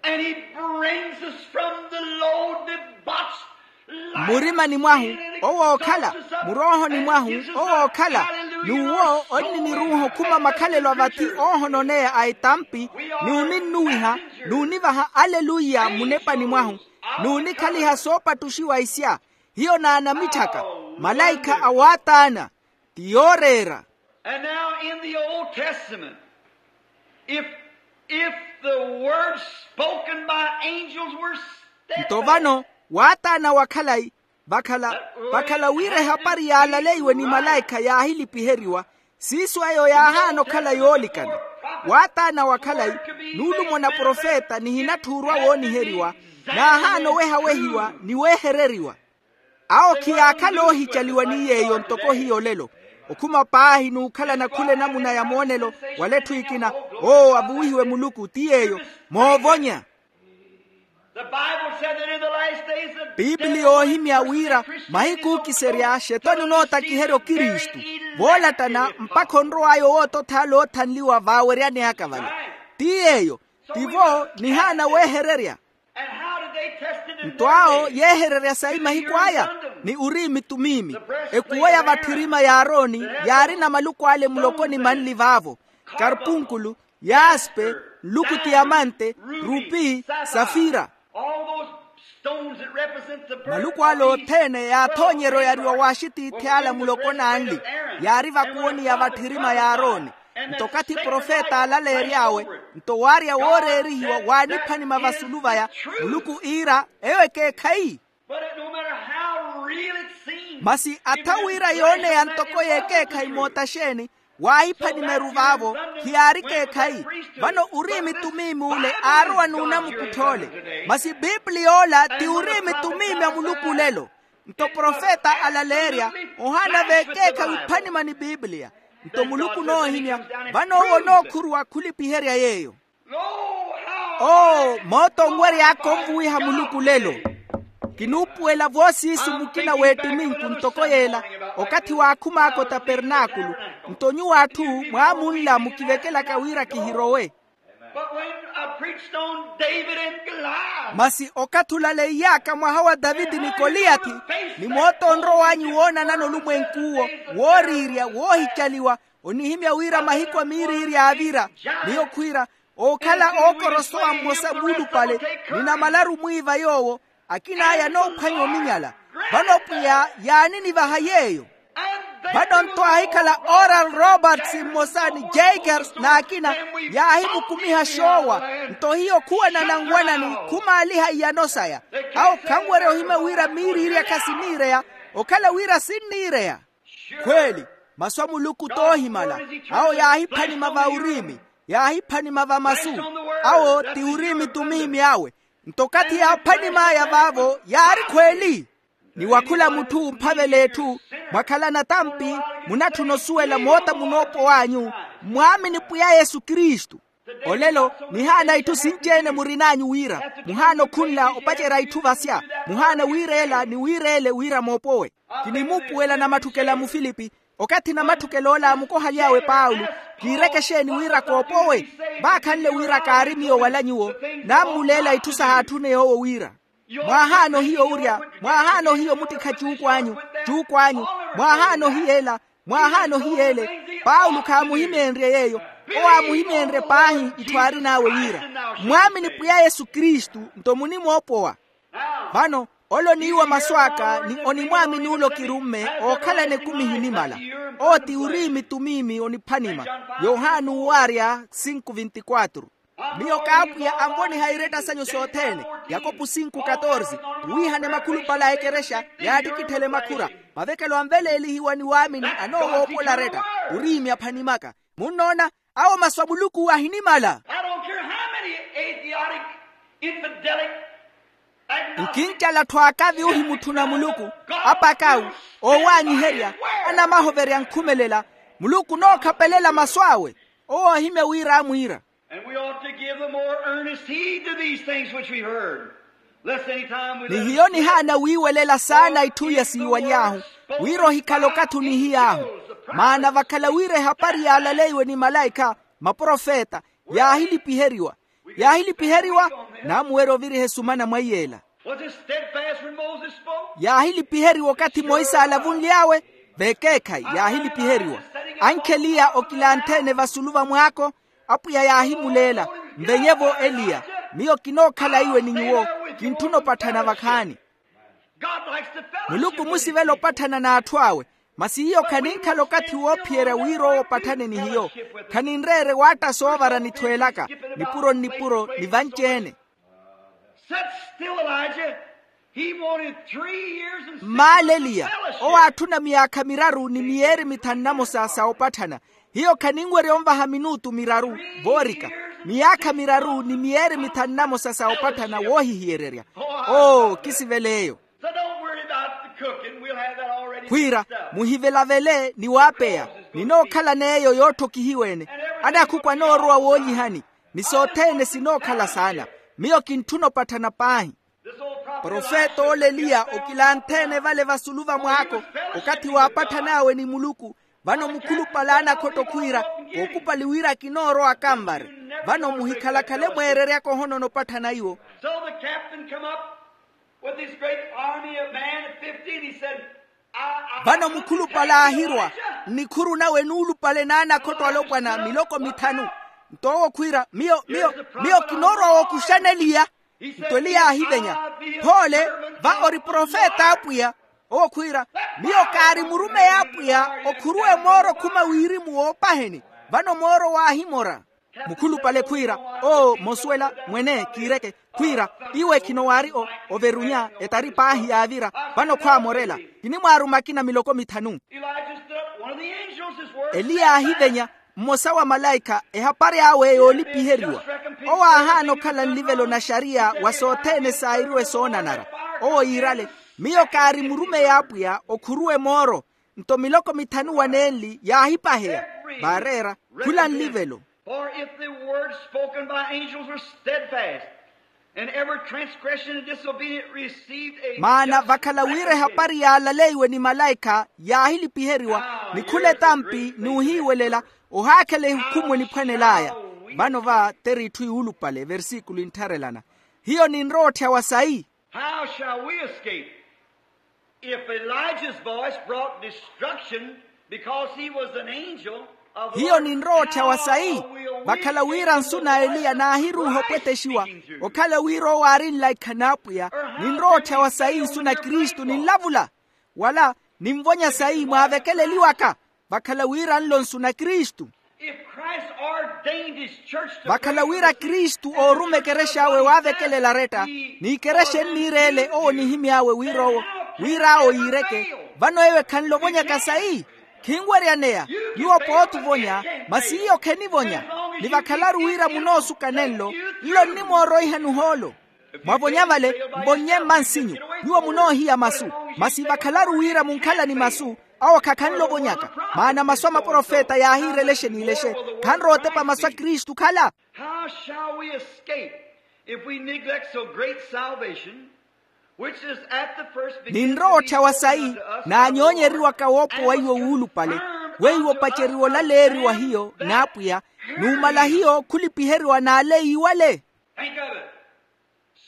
And he brings us from the low debauched life. Mmurimani mwahu owo okhala, muroohoni mwahu owo okhala, n'uwo onniniruuha okhuma makhalelo a vathi oohononeya a etampi, ni oninnuwiha, n'univaha aleluya munepani mwahu, n'unikhaliha soopattuxiwa isya. Hiyo n'anamitthaka, malaikha a waataana, ti yooreera. And now in the Old Testament, if, if the words spoken by angels were steadfast. Nto vano, waataana wa khalayi, vakhala, vakhala wira ehapari yaalaleiwe ni malaikha yaahilipiheriwa, siiso eyo yaahaana okhala yoolikana. Waataana wa khalayi, nuulumo na profeta nihinatthuurwa wooniheriwa, naahaana owehawehiwa ni weehereriwa. Awo khiyaakhala oohicaliwa ni yeeyo ntoko hiyo olelo, okhuma paahi n'ukhalana khula enamuna ya moonelo wala etthu ekina. Oo avuwihiwe muluku ti yeeyo, moovonya. The Bible said that in the last days the pipili devil yoohimya wira mahiku ookiserya xetoni onootakiherya okristu, voolattana mpakha onrow'aya owootothaala oothanliwa vaaweryani aka vale. Ti yeeyo, tivo nihaana weehererya. Nto awo yeehererya sayi mahiku aya, ni uriimi tumiimi. Ekuwo ya vatthirima ya arooni yaarina maluku ale muloko ni manli vaavo, karpunkulu, yaaspe, nluku tiyamante, rupi, safira. Maluku ale othene yaathoonyerya oyariwa w'axitiithi ala muloko n'anli, yaari vakuwoni ya vatthirima ya arooni. Nto okathi profeta aalaleery'awe, nto waarya wooreerihiwa waaniphanima vasulu vaya, muluku iira eyo ekeekhayi. Masi atha wira yooneya ntoko y'ekeekhayi moota xeeni, waahiphanima eru vaavo, khiyaari ekeekhayi. Vano uriimi tumiimi ole aarowa n'unamukuttha ole. Masi pipili yoola ti uriimi tumiimi a muluku olelo. Nto profeta alaleerya ohaana v'ekeekhayi ophanima ni pipiliya. Nto muluku onoohimya, vano owo onookhuruwa khulipiherya yeeyo. Oo, moota onwery'aka onvuwiha muluku olelo. Kinuupuwela voosiisu mukina w'ettiminku ntoko y'ela, okathi waakhum'aka otapernaakulu. Nto nyuwo atthu mwaamunla mukivekelaka wira kihirowe. Masi okathi olaleiy'aka mwaha wa taviti ni koliyathi, ni moota onrow'anyu woonanana olumwenk'uwo, wooriirya woohicaliwa, onihimya wira mahiku a miiriiri yaavira. Miyo khwiira, ookhala ookorosowa mmosa muulupale, ni namalaru mwiiva yoowo, akin'aya anoophwanya ominyala. Vano pwiya yaaninivaha yeeyo. Vano nto aahikhala oral roberts mmosa ni jakers n'akina, yaahimukumiha xoowa. Nto hiyo khuwanana nwanani khumaaliha iyano saya. Awo khanwerya ohimya wira miiriiri akha siniireya, okhala wira sinniireya. Khweeli, masu a muluku t'ohimala. Awo yaahiphanima va uriimi, yaahiphanima va masu. Awo ti uriimi tumiimi awe. Nto okathi yaaphanim'aya vaavo yaari khweeli. Ni wa khula mutthu omphavela etthu, mwakhalana tampi, munatthuna osuwela moota munoopow'anyu, mmwaamini pwiya yesu kristu. Olelo nihaana itthu sinci-ene murin'anyu wira muhaana okhunla opacerya itthu vasya, muhaana wiireela ni wiireele wira moopowe. Kinimuupuwela namatthukelo a mufilipi. Okathi namatthukelo ola aamukohaly'awe paulo, kiireke exeeni wira koopowe? Vaakhanle wira kaari miyo wala nyuwo. Nammuleela itthu sahaatthune yoowo wira, mwaahaana ohiya owurya, mwaahaana ohiya omuttikha cuukw'anyu, cuukw'anyu, mwaahaana ohiya ela, mwaahaana ohiya ele. Paulo khaamuhimeenrye yeeyo. Owo aamuhimeenrye paahi itthu aarin'awe wira, mmwaamini pwiya yesu kristu nto munimoopowa. Vano ole oniiwa masu aka ni onimwaamini ole okirumme, ookhalana ekumi ehinimala. Owo ti uriimi tumiimi oniphanima. Yohani uuwaarya sinku vinti-kwatru. Miyo k'apwiya anvoniha iretta sanyu sothene. Yakopu sinku katorsi. Wiihane makhulupale a ekerexa yaattikitthele makhura. Mavekelo anveleelihiwa ni waamini anoowoopola aretta. Uriimi aphani maka. Munnoona, awo masu a muluku ahinimala. I don't care how many atheistic, infidelic, agnostic, nkincala atthu akavi ohimutthu na muluku, apakawu, oowaanyiherya, anamahoverya nkhumelela. Muluku onookhapelela masu awe. Owo ohimya wira amwiira. And we ought to give the more earnest heed to these things which we heard. Lest any time we ni let hiyo us slip. Nihaana wiiwelela saana itthu iya siiwaly'ahu, wira ohikhale okathi onihiy'ahu. Maana vakhala wira ehapari yaalaleiwe ni malaikha, maprofeta, yaahilipiheriwa. Yaahilipiheriwa, naamuwerya oviriha esumana mwa iy'ela. Was it steadfast when Moses spoke? Yaahilipiheriwa okathi monse aalavunly'awe. Vekeekhayi, yaahilipiheriwa. Ankheliya okilanthe-ene vasulu va mwaako. Apwiya yaahimuleela, nvenye-vo eliya, miyo kinookhala iwe ni nyuwo. Kintthuna opatthana vakhaani. Muluku omusivela opatthana n'atthu awe. Masi hiyo khaninkhala okathi woophiyerya wira owo opatthane ni hiyo. Khaninreere waatta soovara nithweelaka, nipuro nnipuro ni vanci-ene. Set still, Elijah. He wanted three years and six months of fellowship. Mmaala eliya, owo aatthuna miyaakha miraru ni miyeeri mithanu namosa sa opatthana. Hiyo khaninwerya onvaha minutu miraru, voorika. Miyaakha miraru ni miyeeri mithanu namosa sa opatthana woohihiyererya. Oo, kisivela eyo. So don't worry about the cooking. We'll have that already fixed up. Khwiira, muhivelavele ni waapeya. Ninookhalana eyo yootthokihiwa-ene. Anakhuku anoorowa woonyihani. Ni sothene sinookhala saana. Miyo kintthuna opatthana paahi. Profeta ole eliya okilanthe-ene vale vasulu va mwaako, okathi waapatthanawe ni muluku. Vano mukhulupale anakhotto khwiira, kookupali wira kinoorowa akanvare. Vano muhikhalakhale mweereryaka ohonona opatthana iwo. So the captain come up with his great army of man of fifty, and he said, vano mukhulupale aahirwa, nnikhuru nawe nuulupale n'anakhotto alopwana miloko mithanu. Nto owo khwiira, miyo miyo miyo kinoorowa wookuxana eliya. Nto eliya aahivenya, phoole, va ori profeta a apwiya. Owo khwiira, miyo kaari murumeyi a apwiya okhuruwe mooro okhuma wirimu woopaheni. Vano mooro waahimora. Mukhulupale khwiira, oo mosuwela mwene kiireke. Khwiira, iwe khino waari o overunya etari paahi yaavira. Vano khwaamorela. Kinimwaaruma akina miloko mithanu. Eliya aahivenya, mmosa wa malaikha ehapari awe yoolipiheriwa. Owo aahaana okhala nlivelo na xariya wa sothene saayiriwe soonanara. Owo yiirale, miyo kaari murumeyi a apwiya okhuruwe mooro. Nto miloko mithanu wa nenli yaahipaheya, vaareera, khula nlivelo. For if the words spoken by angels were steadfast, and every transgression and disobedient received a maana just vakhala wira recompense. Ehapari yaalaleiwe ni malaikha yaahilipiheriwa, ni khula etampi n'uhiiwelela, ohaakhela ehukhumu eniphwanel'aya. Vano va teritthu yuulupale versículo inttharelana. Hiyo ninrowa otthyawa sayi? How shall we escape if Elijah's voice brought destruction because he was an angel of the Lord? Hiyo ninrowa otthyawa sayi? Vakhala wira nsu na eliya naahiruuha opwetexiwa, okhala wira owo aari nlaikha n'apwiya. Ninrowa otthyawa sayi nsu na kristu ninlavula? Wala ninvonya sayi mwaavekeleliwaka? Vakhala wira nlo nsu na kristu. If Christ ordained his church to vakhala wira kristu oorume ekerex'awe waavekelela aretta, n'ikerexa enniireele owo onihimy'awe wira owo, wira awo yiireke. Vano eyo ekhanle ovonyaka sayi? Khinweryaneya. Nyuwo pooti ovonya, masi iyo khenivonya. Ni vakhalaru wira munoosuka nenlo, nlo nnimooroiha nuhoolo. Mwavonya vale, mvonnye mmansinyu. Nyuwo munoohiya masu. Masi vakhalaru wira munkhala ni masu, awo khakhanle ovonyaka. Maana masu a maprofeta yaahiirelexe n'ilexe. Khanrowa otepa masu a kristu khala. How shall we escape if we neglect so great salvation, which is at the first beginning to be spoken unto us by the Lord, and was confirmed unto us by the Lamb? Naanyoonyeriwaka woopo wa iwo wuulupale, weiwo opaceriwa olaleeriwa hiyo n'apwiya, numala hiyo khulipiheriwa n'aleyiwale. Think of it.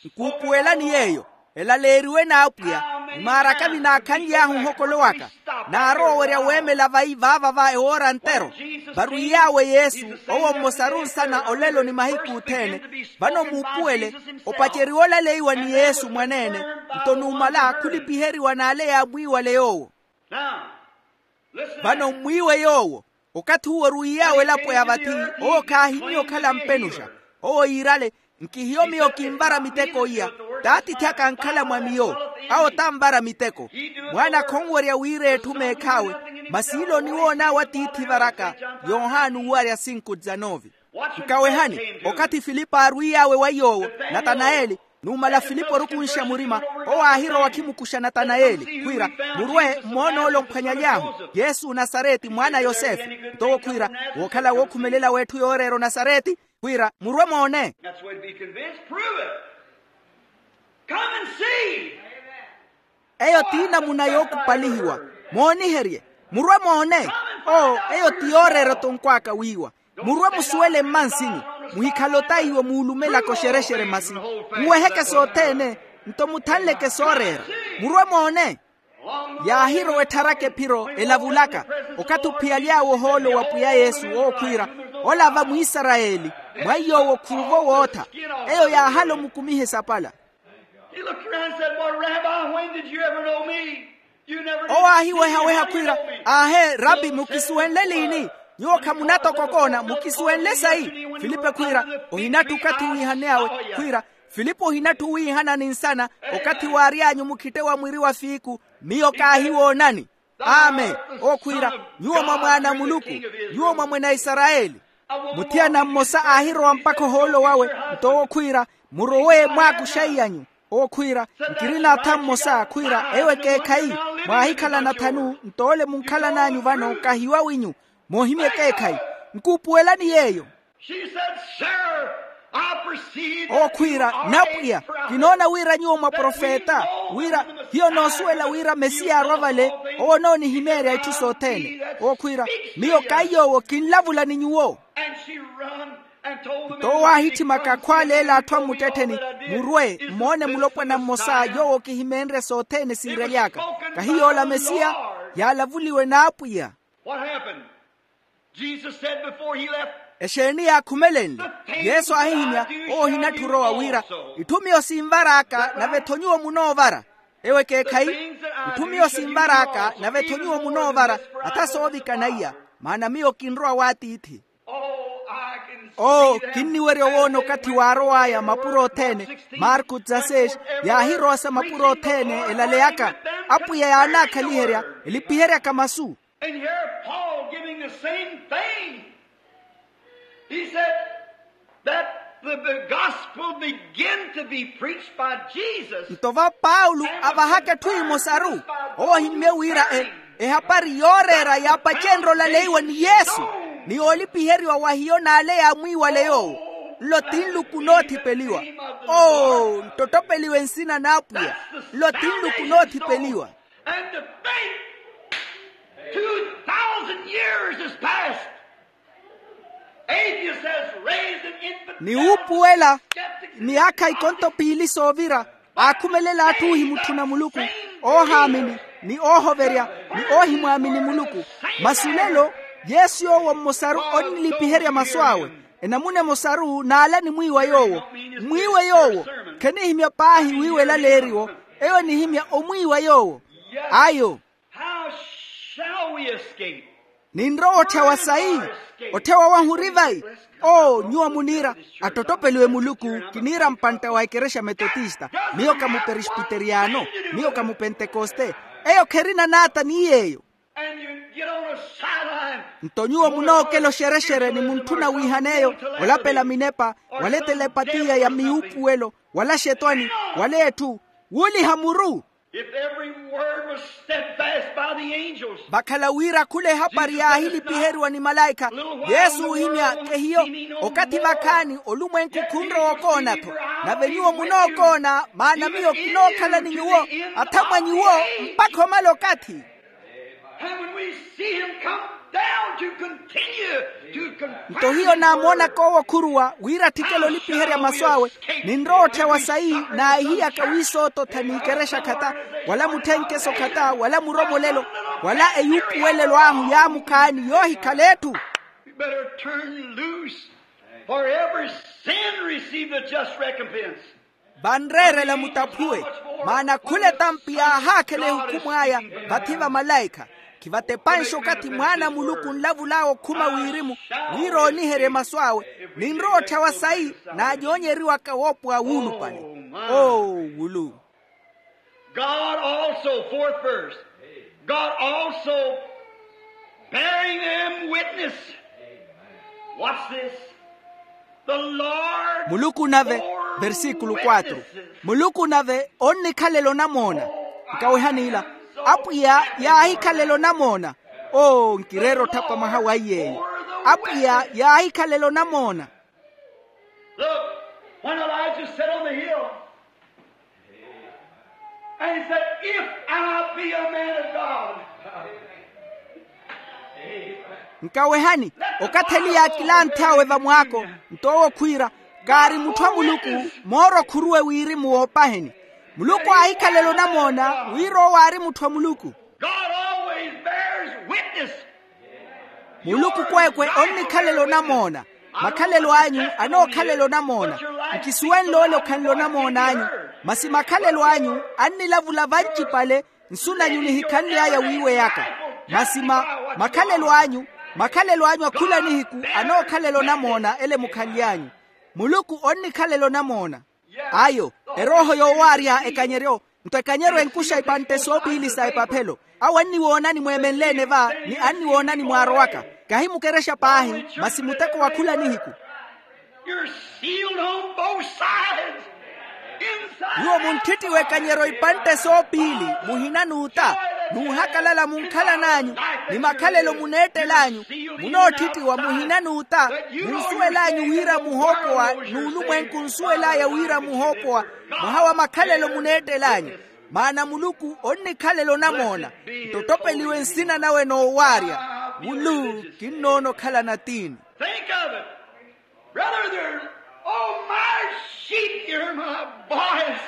Nkuupuwelani yeeyo, elaleeriwe n'apwiya. Ni maarakavi naakhanly'ahu ohokolo waka, naarowa owerya weemela vayi vaava va ewoora ntero. Varwiy'awe yesu, owo mmosaru nsana olelo ni mahiku othene. Vano muupuwele, opaceriwa olaleiwa ni yesu mwaneene, nto numala khulipiheriwa n'ale yaamwiiwale yoowo. Vano mmwiiwe yoowo. Okathi uwo orwiiy'awe elapo ya vathi, owo khaahimmye okhala mpenuxa. Owo yiirale, nkihiyo miyo kinvara miteko iya. T'atiithi aka ankhala mwa miyo, awo tanvara miteko. Mwaana khonwerya wira etthu meekh'awe, Masi ilo oniwoon'awe atiithi varaka. Yohani uwarya sinku dizanovi. Nkawehani, okathi filipo aarwiy'awe wa yoowo, natanayeli, numala filipo orukunxa murima, owo aahirowa akhimukuxa natanayeli khwiira, murwe mmoon'ole omphwanyaly'ahu, yesu onasareti mwaana a yosefe. Nto owo khwiira, wookhala wookhumelela w'etthu yooreera onasareti, khwiira murwe moone. That's the way to be convinced. Prove it. Come and see. Eyo ti namuna yookupalihiwa. Mooniherye. Murwe moone. Oo, eyo ti yooreera otonkw'aka wiiwa. Murwe musuwele mmansinyu. Muhikhale otaiwe muulumelaka oxerexere masi. Muweheke sothene. Nto muthanleke sooreera. Murwe moone. Yaahirowa ettharaka ephiro elavulaka, okathi ophiyaly'awe ohoolo wa pwiya yesu ookhwiira, ola va mwisarayeli, mwa iy'owo khuuvo wootha. Eyo yaahala omukumiha esapala. He looked around and said, "Well, Rabbi, when did you ever know me? You never did. Owo aahiwehaweha khwiira, aahe rabi, mukisuwenle liini? Nyuwo khamunatokokoona, mukisuwenle sayi?" Filipe khwiira, ohinatthu okathi wiihaney'awe. Khwiira, filipe ohinatthu wiihana ni nsana, okathi waary'anyu mukhitte wa mwiri wa fiiku, miyo kaahiwoonani. Amen. Okhwiira, nyuwo mwa mwaana a muluku, nyuwo mwa mwene a isarayeli. Muthiyana mmosa aahirowa mpakha ohoolo wawe, nto owo khwiira, murowe mwaakuxa iy'anyu. Owo khwiira, nkirina atha mmosa khwiira ewo ekeekhayi, mwaahikhalana thanu nto ole munkhalan'anyu vano kahiwaw'inyu. Moohimya ekeekhayi. Nkuupuwelani yeeyo. She said, "Sir, I perceive that you are a prophet." Owo khwiira, napwiya, kinoona wira nyuwo mwaprofeta, wira hiyo noosuwela wira mesiya arwa vale. Owo onoonihimeerya itthu sothene. Owo khwiira, miyo kaiy'owo kinlavula ni nyuwo. And she run and told the men. Nto owo aahitthimaka akhwaaleela atthu a mmuttettheni, murwe mmoone mulopwana mmosa yoowo kihimeenrye sothene siirely'aka. Kahi yoola mesiya? Yaalavuliwe n'apwiya. What happened? Jesus said before he left, exeeni yaakhumelenle? Yesu aahihimya, owo ohinatthu orowa wira, itthu miyo sinvar'aka nave-tho nyuwo munoovara. Ewo ekeekhayi. Itthu miyo sinvar'aka nave-tho nyuwo munoovara, atha soovikana iya, maana miyo kinrowa w'atiithi. Oo, kinniwerya owoona okathi waarow'aya mapuro othene. Marku dezasseis. Yaahirowasa mapuro othene elaleyaka. Apwiya yaanaakhaliherya, elipiheryaka masu. And here Paul giving the same thing. He said that the, the gospel began to be preached by Jesus. Nto va paulo avahaka etthu emosaru. Owo ohimmye wira e, ehapari yooreera yaapacenrye olaleiwa ni yesu, ni yoolipiheriwa wa hiyo n'ale yaamwiiwale yoowo. Nlo ti nluku noothipeliwa. Oo, nttottopeliwe nsina n'apwiya. Nlo ti nluku noothipeliwa. And to think, two thousand years has passed. Atheist has raised an infant. Ni wuupuwela, miyaakha ikonto piili soovira, aakhumelela atthu ohimutthuna muluku, oohaamini, ni oohoverya, ni oohimwaamini muluku. Masi olelo, yesu yoowo mmosaru onnilipiherya masu awe. Enamuna emosaru n'ala enimwiiwa yoowo. Mmwiiwe yoowo. Khenihimya paahi wiiwela leeriwo. Eyo enihimya omwiiwa yoowo. Ayo. How shall we escape? Ninrowa otthewa sayi? Otthewa wahu ori vayi? Oo, nyuwo muniira, attottopeliwe muluku. Kiniira mpantta wa ekerexa metotista. Miyo ka muperesbiteriyano. Miyo ka mupentekoste. Eyo kherina naata ni yeeyo. And you get on a sideline. Nto nyuwo munookela oxerexere ni muntthuna wiihan'eyo, olapela minepa, wala etelepatiya ya miyuupuwelo, wala axetwani, wala etthu, wuuliha muru. If every word was steadfast by the angels. Vakhala wira khula ehapari yaahilipiheriwa ni malaikha. Yesu oohimya, kehiyo, okathi vakhaani olumwenku khunrowa okoona-tho. Nave nyuwo munookoona, maana miyo kinookhala ni nyuwo, athamwa nyuwo, mpakha omala okathi. And when we see him come down to continue to confirm his word, nto hiyo naamoonaka owo okhuruwa wira atthikela olipiherya masu awe, ninrowa otthewa sayi naahiyaka wiisoototha n'ikerexa khata, wala mutthenkeso khata, wala muromolelo, wala eyuupuwelelo ahu yaamukhaani yoohikhala etthu. We better turn loose, for every sin receive the just recompense. Vanreerela mutaphuwe, maana khula etampi yaahaakhela ehukhumw'aya vathi va malaikha. Khivatepanxe okathi mwaana a muluku onlavul'awe okhuma wirimu, wira ooniherye masu awe. Ninrowa otthewa sayi naacoonyeriwaka woopowa wuulupale. Oo wulu. God also, fourth verse, God also Bearing them witness. What's this? The Lord. Muluku nave, versíkulu quatro, Muluku nave onnikhalela onamoona. Nkawehani ila, Apwiya yaahikhalela onamoona. Oo, nkireera otthapa mwaha wa iy'eyo. Apwiya yaahikhalela onamoona. Look, when Elijah sat on the hill, and he said, "If I be a man of God." Nkawehani, okathi eliya akilanthe awe vamwaako, nto owo khwiira, kaari mutthu a muluku, mooro khuruwe wirimu woopaheni. Muluku aahikhalela onamoona wira owo aari mutthu a muluku. God always bears witness. Muluku kweekwe onnikhalela onamoona. Makhalelo anyu anookhalela onamoona. Nkisuwenle ole okhanle onamoona anyu, masi makhalelo anyu annilavula vancipale. Nsu nanyu nihikhanly'aya wiiweyaka. Masi ma makhalelo anyu, makhalelo anyu a khula nihiku anookhalela onamoona ele mukhanly'anyu. Muluku onnikhalela onamoona. Ayo, erooho yoowaarya ekanyeryo, nto ekanyeryo enkuxa ipantte soopiili sa epaphelo. Awo anniwoonani mweemenleene va, ni anniwoonani mwaarowaka. Kahi mukerexa paahi, masi muteko wa khula nihiku. You're sealed on both sides. Inside. Nyuwo munttittiwa ekanyeryo ipantte soopiili, muhina n'uta, n'uhakalala munkhalan'anyu, ni makhalelo muneettel'anyu. Munoottittiwa muhina n'uta, munsuwel'anyu wira muhoopowa, n'ulumwenku nsuwel'aya wira muhoopowa, mwaha wa makhalelo muneettel'anyu. Maana muluku onnikhalela onamoona, nto ottopeliwe nsina nawe noowaarya. Wulu, kinnoona okhala natiini. Think of it. Brother, there's, oh, my sheep hear my voice.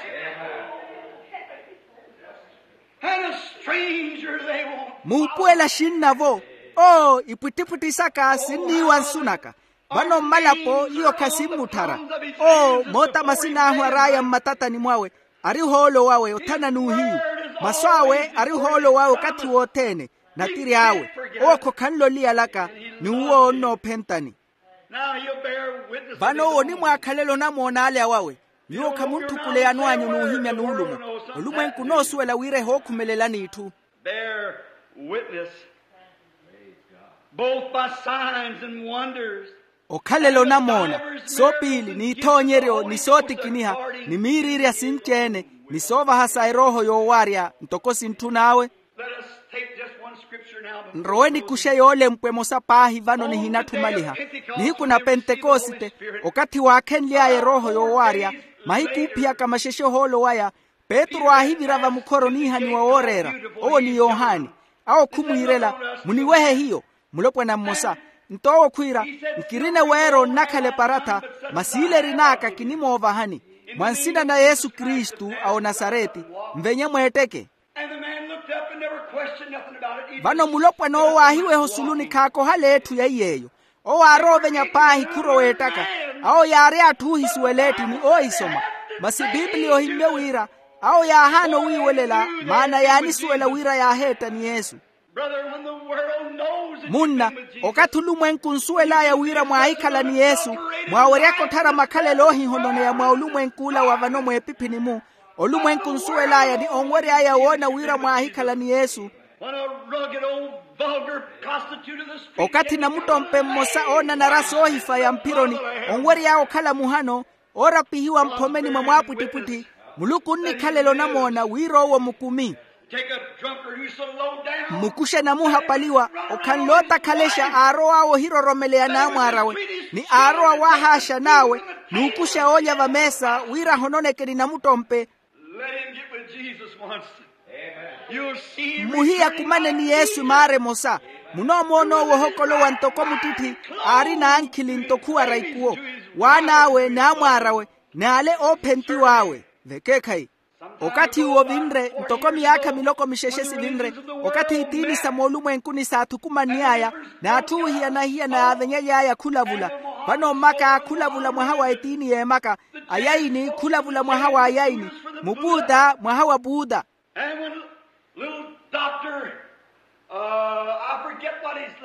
And a stranger they won't. Muupuwela xinnavo. Oo, ipwittipwitthi saka sinniiwa nsu naka. Vano mmalapo iyo khasinmutthara. Oo, moota masin'ahu ar'aya mmatatani mwawe, ari ohoolo wawe othana n'uhiyu. Masu awe ari ohoolo wawe okathi wothene, natiri awe. Owo khokhanle oliyalaka, ni uwo onnoophentani. Vano owo onimwaakhalela onamoona ale awawe. Nyuwo khamuntthukule yano anyu n'uhimya n'ulumo. Olumwenku onoosuwela wira ehookhumelelani itthu. Bear witness, both by signs and wonders. Okhalela onamoona, soopiili n'ithoonyeryo ni sootikiniha, ni miiriirya sinci-ene, ni soovaha sa erooho yoowaarya ntoko sintthun'awe. Let us take just one scripture now before. Nrowe nikuxe yoolempwa emosa paahi vano nihinatthu omaliha. Nihiku na pentekosite, okathi waakhenly'aya erooho yoowaarya, mahiku oophiyaka maxexe ohoolo waya, petru aahivira vamukhoro oniihaniwa wooreera, owo ni yohani. Awo khumwiirela, muniwehe hiyo. Mulopwana mmosa, nto owo khwiira, nkirina eweero nnakhala eparatha, masi ile erin'aka kinimoovahani, mwa nsina na yesu kristu a onasareti, nvenye mweetteke. Vano mulopwana owo aahiweha osuluni khaakohala etthu ya iy'eyo. Owo aarowa ovenya paahi khurowa eettaka. Awo yaari atthu oohisuwela etti ni oohisoma. Masi piipiliya ohimmye wira, awo yaahaana owiiwelela, maana yaanisuwela wira yaaheetta ni yesu. Munna, okathi olumwenku nsuwel'aya wira mwaahikhala ni yesu, mwaaweryaka otthara makhalelo oohihononeya mwa olumwenku ola wa vano mweepiphini-mu. Olumwenku nsuwel'aya ni onwery'aya woona wira mwaahikhala ni yesu. Okathi namuttompe mmosa oonanara soohifaya mphironi, onwery'aya okhala muhano, oorapihiwa mphomeni mwa mwaapwittipwitthi. Muluku onnikhalela onamoona wira owo mukumi. Mmukuxe namuhapaliwa, okhanle ootakhalexa aarow'awe ohiroromeleya naamwaar'awe, ni aarowa waahaaxan'awe, n'ukuxa oolya vameesa wira ahononeke ni namuttompe. Mmuhiyakumane ni yesu maara emosa. Munoomoona owo ohokolowa ntoko muttitthi, aari n'ankhili nto khuwara ikuwo. Waan'awe n'amwaar'awe, n'ale oophentiw'awe. Vekeekhayi. Okathi uwo ovinre ntoko miyaakha miloko mixexe sivinre, okathi itiini sa moolumwenkuni saathukumanny'aya, n'atthu oohiyana-hiyana yaavenyely'aya khulavula. Vano mmaka khulavula mwaha wa etiini y'emaka, ayayini khulavula mwaha wa ayayini, mupuuta mwaha wa puuta.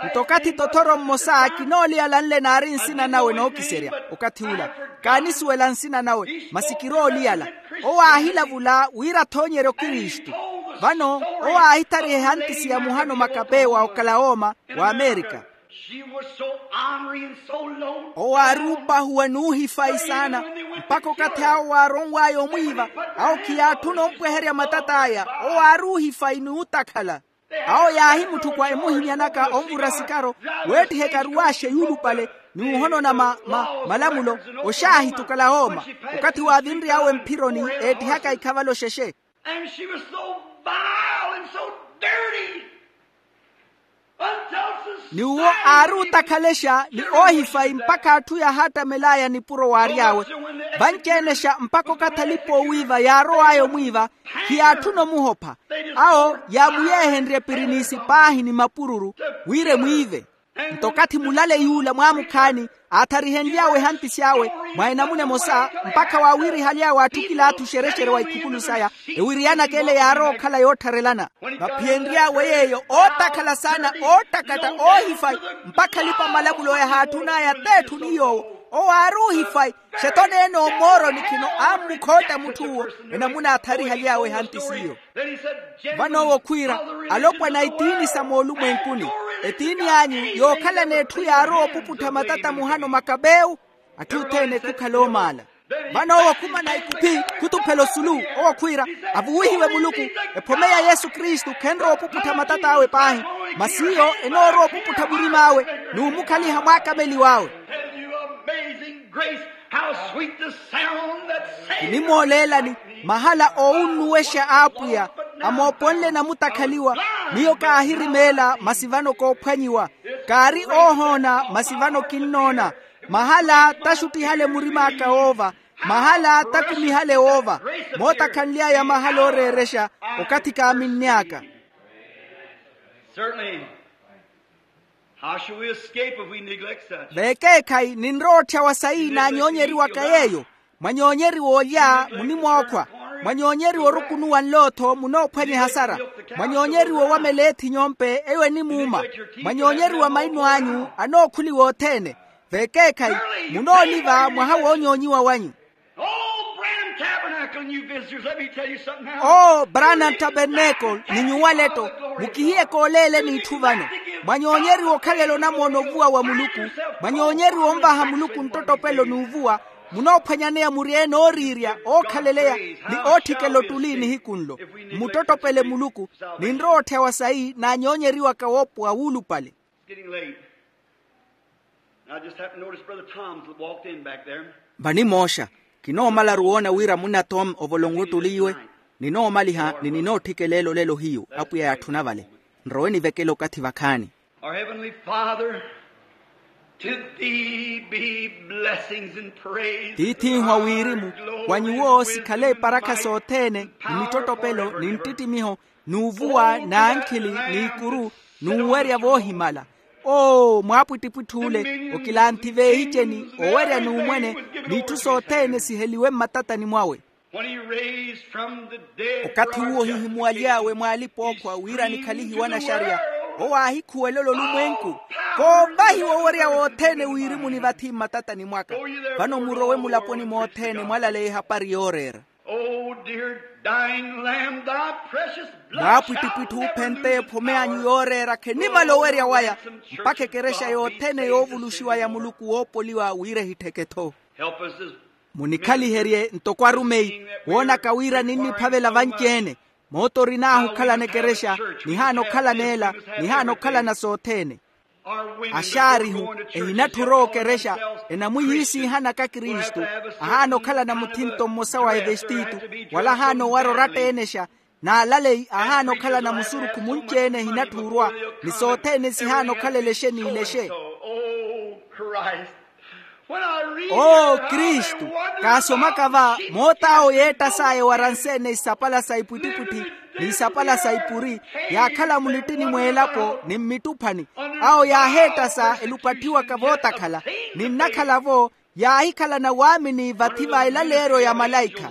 Nto okathi tothoro mmosa kinooliyala nle naari nsina nawe nookiserya okathi ula, kaanisuwela nsina nawe masi kirooliyala. Owo aahilavula wira athoonyerye okristu. Vano owo aahithariha ehantisi ya muhano makapewa okalawooma, wa amerika. Owo aari opahuwa n'uhifayi saana, mpakha okathi awo waaronw'aya omwiiva, awo khiyaatthuna ompweherya matat'aya. Owo aari uhifayi n'utakhala. Awo yaahimutthukw'a emuhinyanaka onvura sikaro, weettiha ekaruwaaxe yuulupale, n'uhonona malamulo. Oxaahiti okalahooma, okathi waavinry'awe mphironi, eettihaka ikhavalo xexe. And she was so vile and so dirty. Ni uwo aari otakhalexa ni oohifayi mpakha atthu yahaattamel'aya nipuro waary'awe. Vanci-enexa mpakha okathi alipa oowiiva yaarow'aya omwiiva, khiyaatthuna omuhopha. Awo yaamuyeehenrye pirinisi paahi ni mapururu, wira emwiive. Nto okathi mulale yuula mwaamukhaani, aatharihenly'awe ehantisi awe mwa enamuna emosa, mpakha waawirihaly'awe atthu kilaathu xerexere wa ikhukulu saya, ewiriyanaka ele yaarowa okhala yoottharelana. Vaphiyenry'awe yeeyo ootakhala saana, oottakatta, oohifayi, mpakha alipa-malamulo yahaatthun'aya t'etthu ni yoowo. Owo aari uhifayi, xeto neene omooroni khino aammukhootta mutth'uwo. Enamuna aatharihaly'awe ehantisiyo. Vano owo khwiira, alopwana a itiini sa moolumwenkuni, etiini anyu yookhalana etthu yaarowa opuputtha matata muhano makapewu. Atthu othene khukhala oomaala. Vano owo khumana ikuphi, khutuphela osulu. Owo khwiira, avuwihiwe muluku, ephome ya yesu kristu khenrowa opuputtha matat'awe paahi, masi iyo enoorowa opuputtha murim'awe, n'umukhaliha mwaakameliw'awe. Kinimooleelani mahala oowunnuwexa a apwiya, amooponle namutakhaliwa. Miyo kaahirimeela masi vano koophwanyiwa. Kaari oohoona masi vano kinnoona. Mahala taxuttihale murim'aka woova, mahala takumihale woova. Mootakhanly'aya mahala ooreerexa, okathi kaaminny'aka. Certainly. How shall we escape if we neglect such? Veekeekhayi ninrowa otthyawa sayi naanyoonyeriwaka yeeyo. Mwanyoonyeriwa olya munimwookhwa. Mwanyoonyeriwa orukunuwa nlootho munoophwanya ehasara. Mwanyoonyeriwa owamela eethinyo mpe eyo enimuuma. Mwanyoonyeriwa maino anyu anookhuliwa othene. Veekeekhayi munooliva mwaha woonyoonyiwa wanyu. Oh, Branham Tabernacle, new visitors, let me tell you something now. Oo, branham tabernacle ni nyuwaleto, mukihiye kooleeleni itthu vano. Mwanyoonyeriwa okhalela onamoono ovuwa wa muluku. Mwanyoonyeriwa onvaha muluku nttottopelo n'uvuwa. Munoophwanyaneya muri-ene ooriirya ookhaleleya ni ootthikela ottuli nihiku nlo. Mmuttottopele muluku. Ninrowa otthyawa sayi naanyoonyeriwaka woopowa wuulupale. It's getting late. I just happened to notice brother tom's walked in back there. Vanimooxa kinoomalaru woona wira munna tom ovolonwe ottuli iwe. Ninoomaliha ni ninootthikeleela olelo hiyu apwiya yaatthuna vale. Nrowe nivekele okathi vakhaani. Our heavenly father, to thee be blessings and praise. Tiith'inhwa wirimu wa nyuwo sikhale eparakha sothene ni mittottopelo ni nttittimiho n'uvuwa n'ankhili n'ikuru n'uwerya voohimala. Oo mwaapwittipwitthi ole okilanthi veehiceni owerya n'umwene n'itthu sothene siheliwe mmatatani mwawe. When he raised from the dead, okathi uwo ohihimuwaly'awe mwaalipa ookhwa wira nikhalihiwe anaxariya, owo aahikhuwela ololumwenku koovahiwa owerya wothene wirimu ni vathi mmatatani mwaka. Vano murowe mulaponi mothene mwalaleya ehapari yooreera. Oh dear dying lamb, thy precious blood shall never lose its power. Mwaapwittipwitti ophenteye ephome anyu yooreera khenimala owerya waya mpakha ekerexa yothene yoovuluxiwa ya muluku woopoliwa wira ehittheke-tho. Help us as ministers, munikhaliherye ntoko arumeyi woonaka wira ninniphavela vanci-ene. Moota orinaahu okhalana ekerexa, nihaana okhalana ela, nihaana okhalana sothene. Axaarihu ehinatthi orowa okerexa, enamwiiyiisiihanaka kristu, ahaana okhalana muthinto mmosa wa evestitu, wala ahaana owara oratta-enexa. N'alaleyi ahaana okhalana musurukhu munci-ene ehinatthi orwa, ni sothene sihaana okhalela exe n'ilexe. Oo kristu, kaasomaka va moot'awo yeettas'aya ewaranse-ene isapala sa ipwittipwitthi ni isapala sa ipuri, yaakhala mulittini mw'elapo ni mmittuphani. Awo yaaheettasa elupatthiwaka vootakhala, ni nnakhala-vo yaahikhalana waamini vathi va elaleeryo ya malaikha.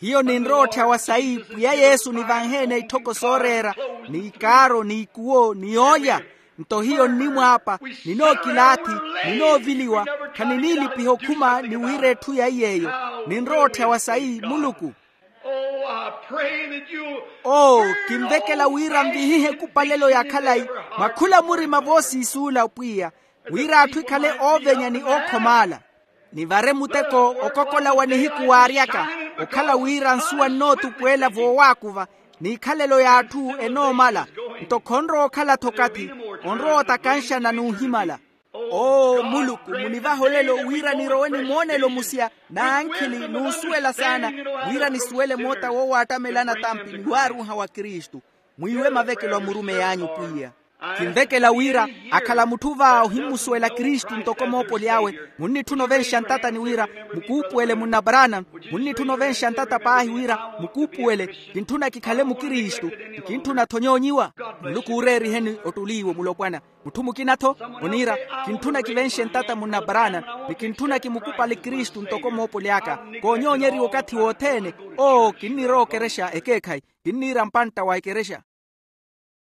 Hiyo ninrowa otthyawa sayi pwiya yesu nivanhe-ene itthoko sooreera, ni ikaaro ni ikuwo ni yoolya. Nto hiyo nnimwaapa, ninookilaathi, ninooviliwa, khaniniilipiha okhuma ni wira etthu ya iy'eyo. Ninrowa otthyawa sayi muluku. Oo, kinvekela wira nvihihe ekupalelo ya khalayi mwa khula murima voosiisuula pwiya, wira atthu ekhale oovenya ni ookhomala. Nivare muteko okokola wa nihiku waaryaka, okhala wira nsuwa nnootupweela voowaakuva, n'ikhalelo y'atthu enoomala. Nto khonrowa okhala-tho okathi, onrowa otakanxana n'uhimala. Oo muluku, munivahe olelo wira nirowe ni moonelo musya n'ankhili n'usuwela saana, wira nisuwele moota woowaattamela anatampi ni waaruuha wa kristu. Mwiiwe mavekelo a murumeyi anyu pwiya. Kinvekela wira akhala mutthu va ohimmusuwela kristu ntoko moopoli awe. Munnitthuna ovenxa ntata ni wira mukuupuwele munna branham. Munnitthuna ovenxa ntata paahi wira mukuupuwele. Kintthuna kikhale mukristu. Nkintthuna-tho nyoonyiwa. Muluku ooreeriheni ottuli iwo mulopwana. Mutthu mukina-tho oniira, kintthuna kivenxe ntata munna branham, ni kintthuna kimukupale kristu ntoko moopoli aka. Koonyoonyeriwa okathi wothene. Oo kinnirowa okerexa ekeekhayi. Kinniira mpantta wa ekerexa.